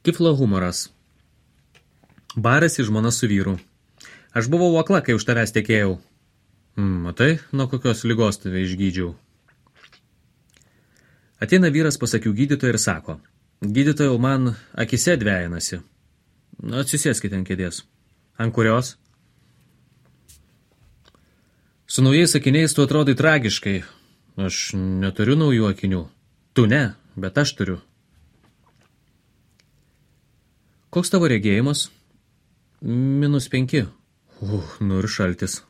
Kiflo humoras. Barasi žmona su vyru. Aš buvau akla, kai už tavęs tekėjau. Matai, nuo kokios ligos tave išgydžiau. Ateina vyras pas akių gydytoją ir sako, gydytojau, man akise dvejinasi. Atsisėskite ant kėdės. Ant kurios? Su naujais akiniais tu atrodai tragiškai. Aš neturiu naujų akinių. Tu ne, bet aš turiu. Koks tavo regėjimas? -5. Nu ir šaltis.